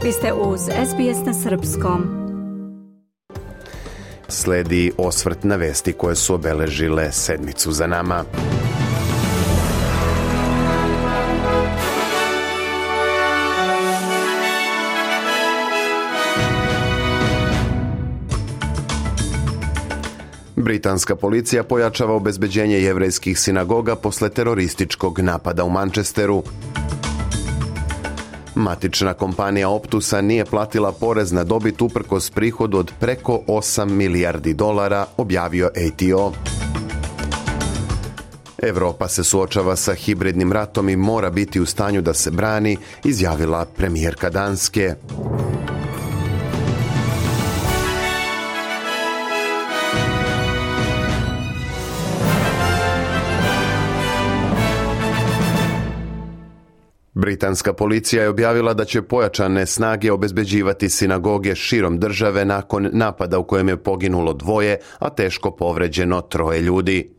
Vi ste uz SBS na srpskom. Sledi osvrt na vesti koje su obeležile sedmicu za nama. Britanska policija pojačava obezbeđenje jevrejskih sinagoga posle terorističkog napada u Manchesteru. Matična kompanija Optusa nije platila porez na dobit uprkos prihodu od preko 8 milijardi dolara, objavio ATO. Evropa se suočava sa hibridnim ratom i mora biti u stanju da se brani, izjavila premijerka Danske. Britanska policija je objavila da će pojačane snage obezbeđivati sinagoge širom države nakon napada u kojem je poginulo 2, a teško povređeno 3 ljudi.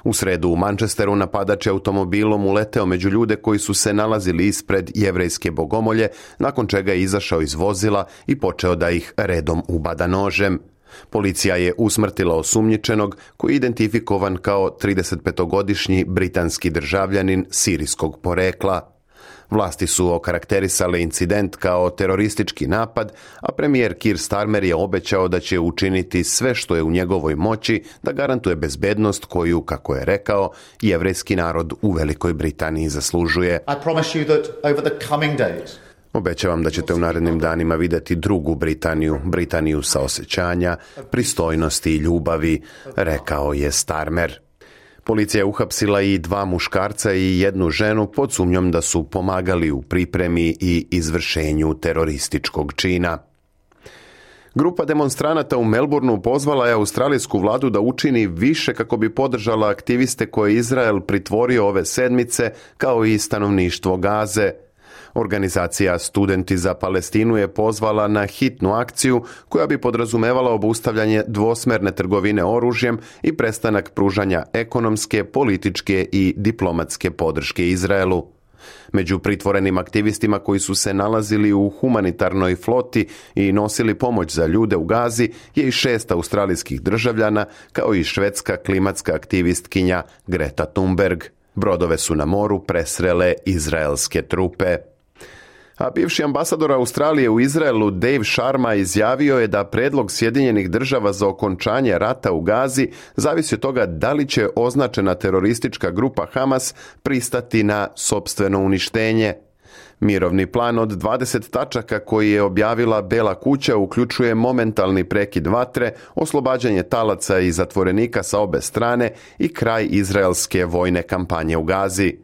U sredu u Manchesteru napadač je automobilom uleteo među ljude koji su se nalazili ispred jevrejske bogomolje, nakon čega je izašao iz vozila i počeo da ih redom ubada nožem. Policija je usmrtila osumnjičenog koji je identifikovan kao 35-godišnji britanski državljanin sirijskog porekla. Vlasti su okarakterisale incident kao teroristički napad, a premijer Keir Starmer je obećao da će učiniti sve što je u njegovoj moći da garantuje bezbednost koju, kako je rekao, jevrejski narod u Velikoj Britaniji zaslužuje. Obećavam da ćete u narednim danima vidjeti drugu Britaniju, Britaniju saosećanja, pristojnosti i ljubavi, rekao je Starmer. Policija je uhapsila i 2 muškarca i 1 ženu pod sumnjom da su pomagali u pripremi i izvršenju terorističkog čina. Grupa demonstranata u Melbourneu pozvala je australijsku vladu da učini više kako bi podržala aktiviste koje Izrael pritvorio ove sedmice, kao i stanovništvo Gaze. Organizacija Studenti za Palestinu je pozvala na hitnu akciju koja bi podrazumevala obustavljanje dvosmerne trgovine oružjem i prestanak pružanja ekonomske, političke i diplomatske podrške Izraelu. Među pritvorenim aktivistima koji su se nalazili u humanitarnoj floti i nosili pomoć za ljude u Gazi je i 6 australijskih državljana, kao i švedska klimatska aktivistkinja Greta Thunberg. Brodove su na moru presrele izraelske trupe. A bivši ambasador Australije u Izraelu Dave Sharma izjavio je da predlog Sjedinjenih država za okončanje rata u Gazi zavisi od toga da li će označena teroristička grupa Hamas pristati na sopstveno uništenje. Mirovni plan od 20 tačaka koji je objavila Bela kuća uključuje momentalni prekid vatre, oslobađanje talaca i zatvorenika sa obe strane i kraj izraelske vojne kampanje u Gazi.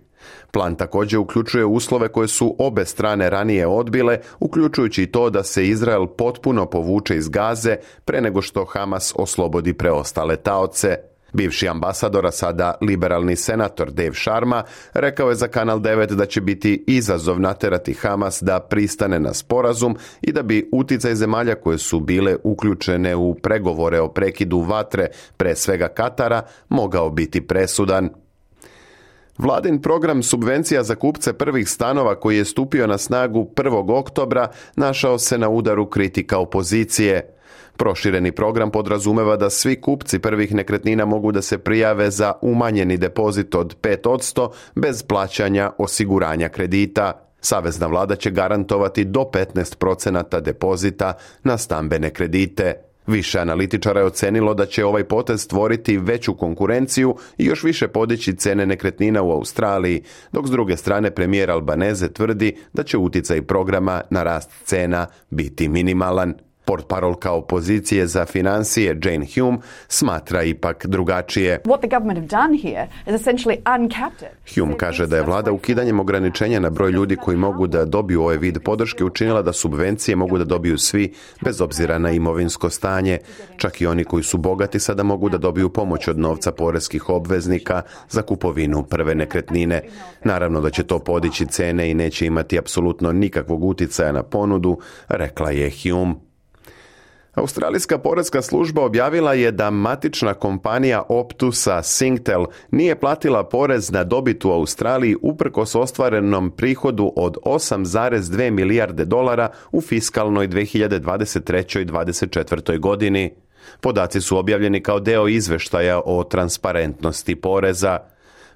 Plan također uključuje uslove koje su obe strane ranije odbile, uključujući i to da se Izrael potpuno povuče iz Gaze pre nego što Hamas oslobodi preostale taoce. Bivši ambasador, a sada liberalni senator Dave Sharma, rekao je za Kanal 9 da će biti izazov naterati Hamas da pristane na sporazum i da bi uticaj zemalja koje su bile uključene u pregovore o prekidu vatre, pre svega Katara, mogao biti presudan. Vladin program subvencija za kupce prvih stanova koji je stupio na snagu 1. oktobra našao se na udaru kritika opozicije. Prošireni program podrazumeva da svi kupci prvih nekretnina mogu da se prijave za umanjeni depozit od 5% bez plaćanja osiguranja kredita. Savezna vlada će garantovati do 15% depozita na stambene kredite. Više analitičara je ocenilo da će ovaj potez stvoriti veću konkurenciju i još više podići cene nekretnina u Australiji, dok s druge strane premijer Albanese tvrdi da će uticaj programa na rast cena biti minimalan. Portparolka opozicije za financije Jane Hume smatra ipak drugačije. Hume kaže da je vlada ukidanjem ograničenja na broj ljudi koji mogu da dobiju ovaj vid podrške učinila da subvencije mogu da dobiju svi bez obzira na imovinsko stanje. Čak i oni koji su bogati sada mogu da dobiju pomoć od novca poreskih obveznika za kupovinu prve nekretnine. Naravno da će to podići cene i neće imati apsolutno nikakvog uticaja na ponudu, rekla je Hume. Australijska porezka služba objavila je da matična kompanija Optusa Singtel nije platila porez na dobit u Australiji uprkos ostvarenom prihodu od 8,2 milijarde dolara u fiskalnoj 2023. i 2024. godini. Podaci su objavljeni kao deo izveštaja o transparentnosti poreza.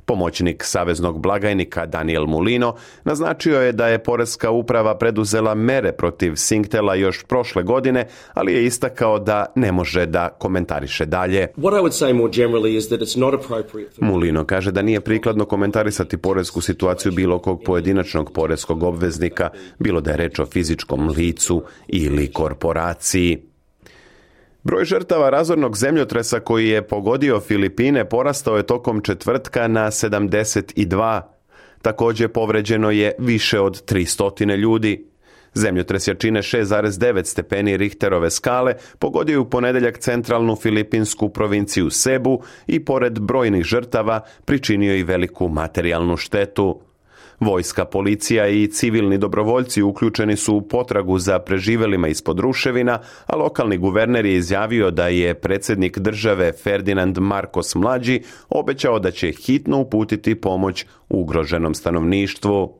Pomoćnik saveznog blagajnika Daniel Mulino naznačio je da je porezka uprava preduzela mere protiv Singtela još prošle godine, ali je istakao da ne može da komentariše dalje. Mulino kaže da nije prikladno komentarisati porezku situaciju bilo kog pojedinačnog porezkog obveznika, bilo da je reč o fizičkom licu ili korporaciji. Broj žrtava razornog zemljotresa koji je pogodio Filipine porastao je tokom četvrtka na 72. Također povređeno je više od 300 ljudi. Zemljotres jačine 6,9 stepeni Richterove skale pogodio je u ponedjeljak centralnu filipinsku provinciju Cebu i pored brojnih žrtava pričinio i veliku materijalnu štetu. Vojska, policija i civilni dobrovoljci uključeni su u potragu za preživelima ispod ruševina, a lokalni guverner je izjavio da je predsjednik države Ferdinand Marcos mlađi obećao da će hitno uputiti pomoć ugroženom stanovništvu.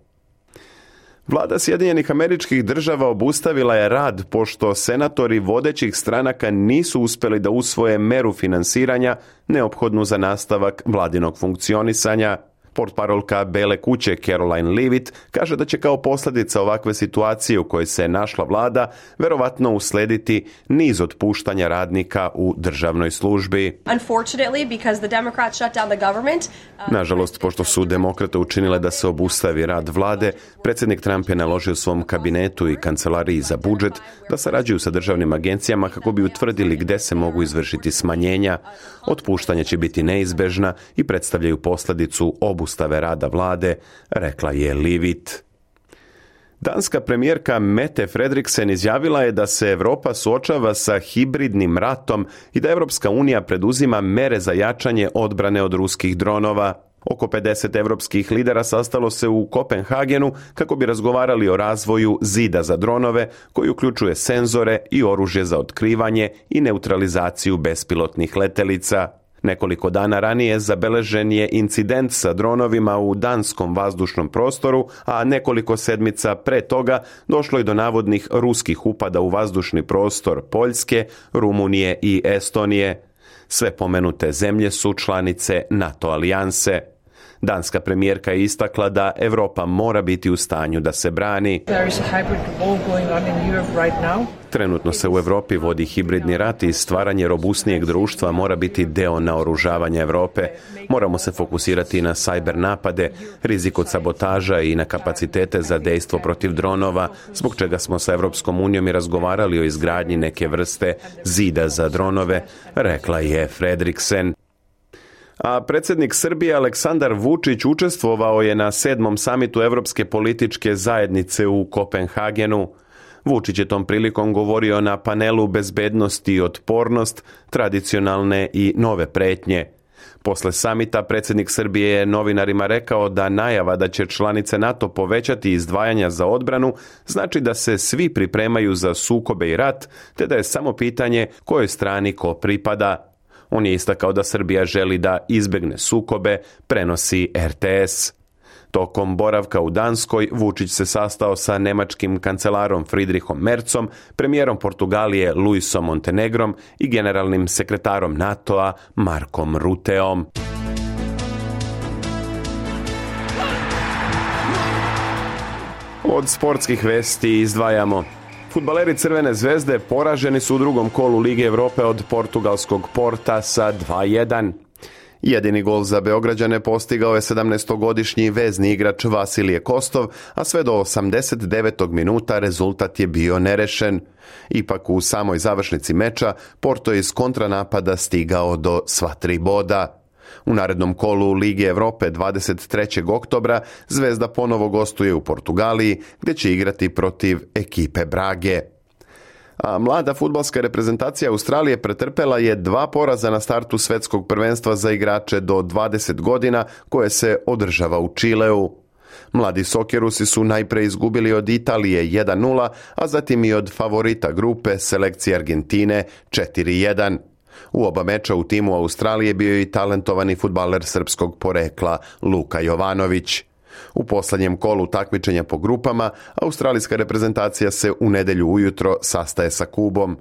Vlada Sjedinjenih Američkih Država obustavila je rad pošto senatori vodećih stranaka nisu uspjeli da usvoje meru finansiranja neophodnu za nastavak vladinog funkcionisanja. Portparolka Bele kuće Caroline Leavitt kaže da će kao posljedica ovakve situacije u kojoj se našla vlada verovatno uslediti niz otpuštanja radnika u državnoj službi. Nažalost, pošto su demokrate učinile da se obustavi rad vlade, predsjednik Trump je naložio svom kabinetu i kancelariji za budžet da sarađuju sa državnim agencijama kako bi utvrdili gdje se mogu izvršiti smanjenja. Otpuštanja će biti neizbežna i predstavljaju posljedicu obustave rada vlade, rekla je Leavitt. Danska premijerka Mette Frederiksen izjavila je da se Europa suočava sa hibridnim ratom i da Europska unija preduzima mere za jačanje odbrane od ruskih dronova. Oko 50 europskih lidera sastalo se u Kopenhagenu kako bi razgovarali o razvoju zida za dronove koji uključuje senzore i oružje za otkrivanje i neutralizaciju bespilotnih letelica. Nekoliko dana ranije zabeležen je incident sa dronovima u danskom vazdušnom prostoru, a nekoliko sedmica pre toga došlo je do navodnih ruskih upada u vazdušni prostor Poljske, Rumunije i Estonije. Sve pomenute zemlje su članice NATO alijanse. Danska premijerka je istakla da Europa mora biti u stanju da se brani. Trenutno se u Europi vodi hibridni rat i stvaranje robusnijeg društva mora biti deo naoružavanja Europe. Moramo se fokusirati na sajber napade, rizik od sabotaža i na kapacitete za dejstvo protiv dronova, zbog čega smo sa Europskom unijom i razgovarali o izgradnji neke vrste zida za dronove, rekla je Frederiksen. A predsjednik Srbije Aleksandar Vučić učestvovao je na 7. samitu Europske političke zajednice u Kopenhagenu. Vučić je tom prilikom govorio na panelu Bezbednost i otpornost, tradicionalne i nove pretnje. Posle samita predsjednik Srbije je novinarima rekao da najava da će članice NATO povećati izdvajanja za odbranu znači da se svi pripremaju za sukobe i rat, te da je samo pitanje kojoj strani ko pripada. On je istakao da Srbija želi da izbjegne sukobe, prenosi RTS. Tokom boravka u Danskoj, Vučić se sastao sa nemačkim kancelarom Friedrichom Merzom, premijerom Portugalije Luisom Montenegrom i generalnim sekretarom NATO-a Markom Rutteom. Od sportskih vesti izdvajamo: fudbaleri Crvene zvezde poraženi su u drugom kolu Lige Europe od portugalskog Porta sa 2:1. Jedini gol za Beograđane postigao je 17-godišnji vezni igrač Vasilije Kostov, a sve do 89. minuta rezultat je bio nerešen. Ipak u samoj završnici meča Porto je iz kontranapada stigao do sva 3 boda. U narednom kolu Lige Europe 23. oktobra Zvezda ponovo gostuje u Portugaliji, gdje će igrati protiv ekipe Brage. A mlada fudbalska reprezentacija Australije pretrpela je 2 poraza na startu svjetskog prvenstva za igrače do 20 godina koje se održava u Čileu. Mladi Sokerusi su najpre izgubili od Italije 1-0, a zatim i od favorita grupe selekcije Argentine 4-1. U oba meča u timu Australije bio je i talentovani fudbaler srpskog porekla Luka Jovanović. U posljednjem kolu takmičenja po grupama, australijska reprezentacija se u nedjelju ujutro sastaje sa Kubom.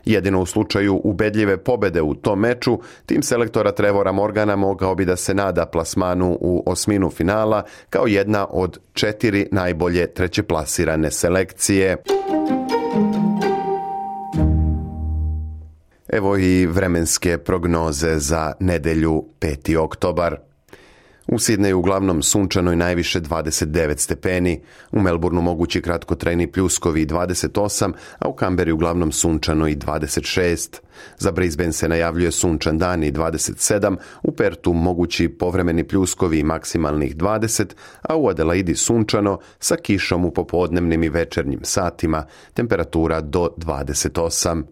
Jedino u slučaju ubedljive pobede u tom meču, tim selektora Trevora Morgana mogao bi da se nada plasmanu u osminu finala kao jedna od 4 najbolje trećeplasirane selekcije. Evo i vremenske prognoze za nedjelju 5. oktobar. U Sidneju uglavnom sunčano i najviše 29 stepeni, u Melbourneu mogući kratkotrajni pljuskovi 28, a u Kamberi uglavnom sunčano i 26. Za Brisbane se najavljuje sunčan dan i 27, u Pertu mogući povremeni pljuskovi i maksimalnih 20, a u Adelaidi sunčano sa kišom u popodnevnim i večernjim satima, temperatura do 28.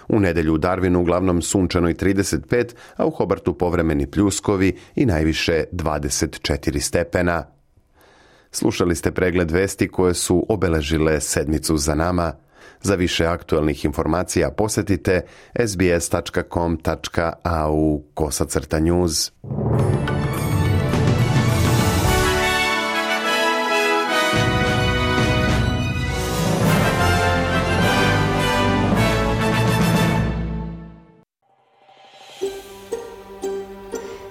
U nedjelju u Darwinu uglavnom sunčano i 35, a u Hobartu povremeni pljuskovi i najviše 24 stepena. Slušali ste pregled vesti koje su obeležile sedmicu za nama. Za više aktualnih informacija posjetite sbs.com.au/news.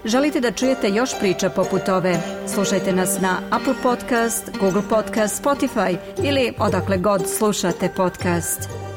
Želite da čujete još priča poput ove? Slušajte nas na Apple Podcast, Google Podcast, Spotify ili odakle god slušate podcast.